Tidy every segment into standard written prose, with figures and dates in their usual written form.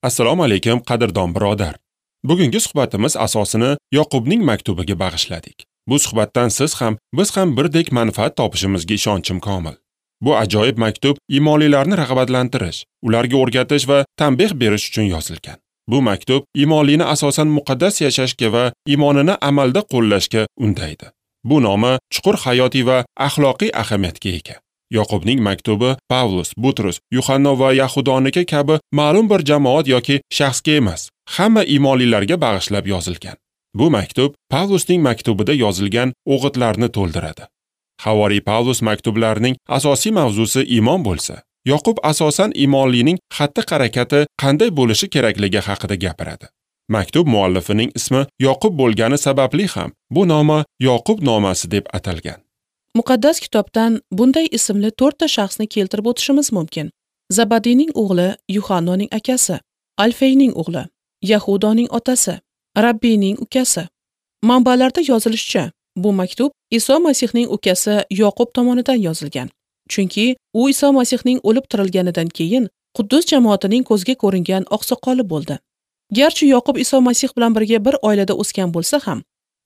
Assalomu alaykum, qadrdon birodar. Bugungi suhbatimiz asosini Yoqubning maktubiga bag'ishladik. Bu suhbatdan siz ham, biz ham birdek manfaat topishimizga ishonchim komil. Bu ajoyib maktub iymonlilarni rag'batlantirish, ularga o'rgatish va tanbeh berish uchun yozilgan. Bu maktub iymonlini asosan muqaddas yashashga va iymonini amalda qo'llashga undaydi. Bu noma chuqur hayotiy va axloqiy ahamiyatga ega. Yoqubning maktubi Pavlus, Butrus, Yuhanno va Yahudoniki kabi ma'lum bir jamoat yoki shaxsga emas, hamma iymonlilarga bag'ishlab yozilgan. Bu maktub Pavlusning maktubida yozilgan o'g'itlarni to'ldiradi. Havoriy Pavlus maktublarining asosiy mavzusi iymon bo'lsa, Yoqub asosan iymonlining xatti-harakati qanday bo'lishi kerakligi haqida gapiradi. Maktub muallifining ismi Yoqub bo'lgani sababli ham bu noma Yoqub nomasi deb atalgan. Muqaddas kitobdan bunday ismli 4 ta shaxsni keltirib o'tishimiz mumkin. Zabadiyning o'g'li Yuhannoning akasi, Alfeyning o'g'li, Yahudoning otasi, Rabbiyning ukasi. Manbalarda yozilishicha, bu maktub Iso Masihning ukasi Yoqub tomonidan yozilgan. Chunki u Iso Masihning o'lib tirilganidan keyin Quddus jamoatining ko'zga ko'ringan oqsoqoli bo'ldi. Garchi Yoqub Iso Masih bilan birga bir oilada o'sgan bo'lsa ham,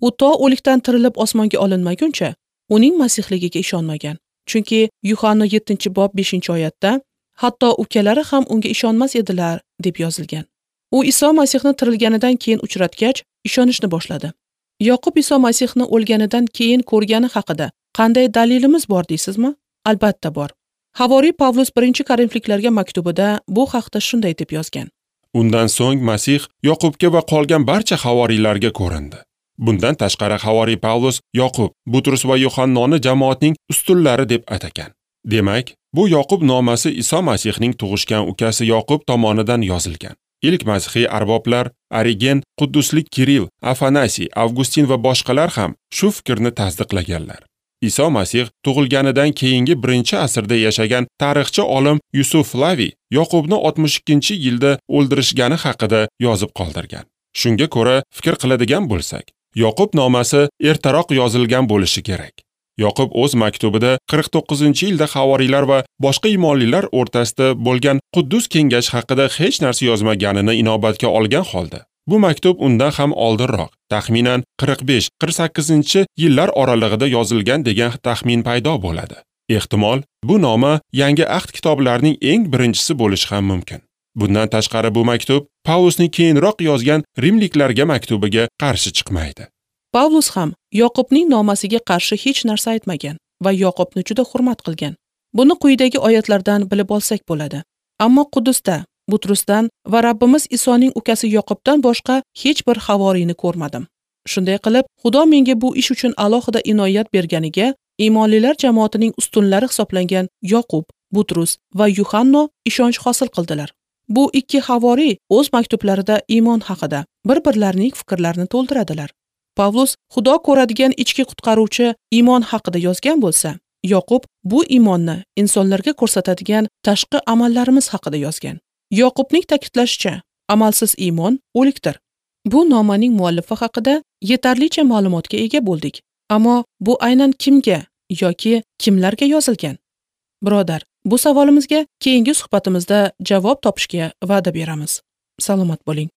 u to o'likdan tirilib osmonga olinmaguncha uning masihligiga ishonmagan. Chunki Yuhanno 7-bob 5-oyatda hatto ukalari ham unga ishonmas edilar deb yozilgan. U Iso Masihni tirilganidan keyin uchratgach, ishonishni boshladi. Yoqub Iso Masihni o'lganidan keyin ko'rgani haqida qanday dalilimiz bor deysizmi? Albatta bor. Havoriy Pavlus 1-Korinfliklarga maktubida bu haqda shunday deb yozgan. Undan so'ng Masih Yoqubga va qolgan barcha havoriylarga ko'rindi. Bundan tashqari havoriy Pavlus Yoqub, Butrus va Yuhannoni jamoatning ustunlari deb atagan. Demak, bu Yoqub nomasi Iso Masihning tug'ishgan ukasi Yoqub tomonidan yozilgan. Ilk masihiy arboblar Origen, Qudduslik Kirill, Afanasiy, Avgustin va boshqalar ham shu fikrni tasdiqlaganlar. Iso Masih tug'ilganidan keyingi 1-asrda yashagan tarixchi olim Yusuf Flaviy Yoqubni 62-yilda o'ldirishgani haqida yozib qoldirgan. Shunga ko'ra fikr qiladigan bo'lsak, Yoqub nomasi ertaroq yozilgan bo'lishi kerak. Yoqub o'z maktubida 49-yilda havoriylar va boshqa iymonlilar o'rtasida bo'lgan Quddus kengashi haqida hech narsa yozmaganini inobatga olgan holda, bu maktub undan ham oldinroq, taxminan 45-48 yillar oralig'ida yozilgan degan taxmin paydo bo'ladi. Ehtimol, bu noma Yangi Ahd kitoblarining eng birinchisi bo'lishi ham mumkin. Bundan tashqari bu maktub Pavlusning keyinroq yozgan Rimliklarga maktubiga qarshi chiqmaydi. Pavlus ham Yoqubning nomasiga qarshi hech narsa aytmagan va Yoqubni juda hurmat qilgan. Buni quyidagi oyatlardan bilib olsak bo'ladi. Ammo Quddusda Butrusdan va Rabbimiz Isoning ukasi Yoqubdan boshqa hech bir havoriyni ko'rmadim. Shunday qilib, Xudo menga bu ish uchun alohida inoyat berganiga iymonlilar jamoatining ustunlari hisoblangan Yoqub, Butrus va Yuhanno ishonch hosil qildilar. Bu ikki havoriy o'z maktublarida iymon haqida bir-birlarining fikrlarini to'ldiradilar. Pavlus Xudo ko'radigan ichki qutqaruvchi iymon haqida yozgan bo'lsa, Yoqub bu iymonni insonlarga ko'rsatadigan tashqi amallarimiz haqida yozgan. Yoqubning ta'kidlashicha, amalsiz iymon o'likdir. Bu nomaning muallifi haqida yetarlicha ma'lumotga ega bo'ldik. Ammo bu aynan kimga yoki kimlarga yozilgan? Birodar, bu savolimizga keyingi suhbatimizda javob topishga va'da beramiz. Salomat bo'ling.